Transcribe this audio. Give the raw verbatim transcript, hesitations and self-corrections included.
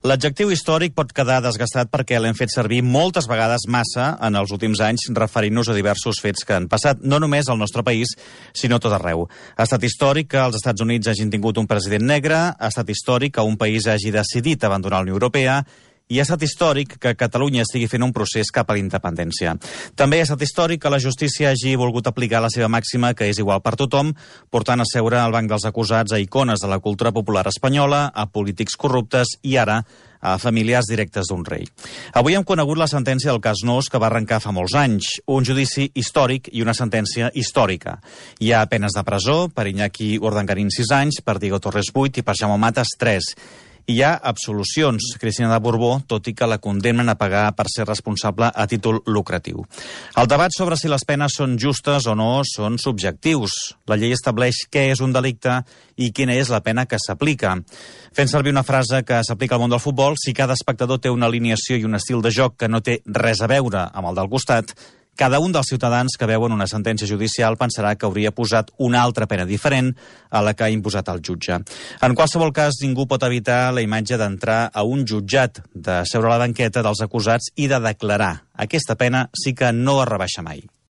L'adjectiu històric pot quedar desgastat perquè l'hem fet servir moltes vegades massa en els últims anys referint-nos a diversos fets que han passat, no només al nostre país, sinó tot arreu. Ha estat històric que els Estats Units hagin tingut un president negre, ha estat històric que un país hagi decidit abandonar la Unió Europea, i ha estat històric que Catalunya estigui fent un procés cap a la independència. També ha estat històric que la justícia hagi volgut aplicar la seva màxima, que és igual per tothom, portant a seure al banc dels acusats a icones de la cultura popular espanyola, a polítics corruptes i ara a familiars directes d'un rei. Avui hem conegut la sentència del cas Nóos, que va arrencar fa molts anys. Un judici històric i una sentència històrica. Hi ha penes de presó per Iñaki Urdangarín sis anys, per Diego Torres vuit i per Jaume Matas tres. Hi ha absolucions, Cristina de Borbó, tot i que la condemnen a pagar per ser responsable a títol lucratiu. El debat sobre si les penes són justes o no són subjectius. La llei estableix què és un delicte i quina és la pena que s'aplica. Fent servir una frase que s'aplica al món del futbol, si cada espectador té una alineació i un estil de joc que no té res a veure amb el del costat, cada un dels ciutadans que veuen una sentència judicial pensarà que hauria posat una altra pena diferent a la que ha imposat el jutge. En qualsevol cas, ningú pot evitar la imatge d'entrar a un jutjat, de seure a la banqueta dels acusats i de declarar. Aquesta pena sí que no es rebaixa mai.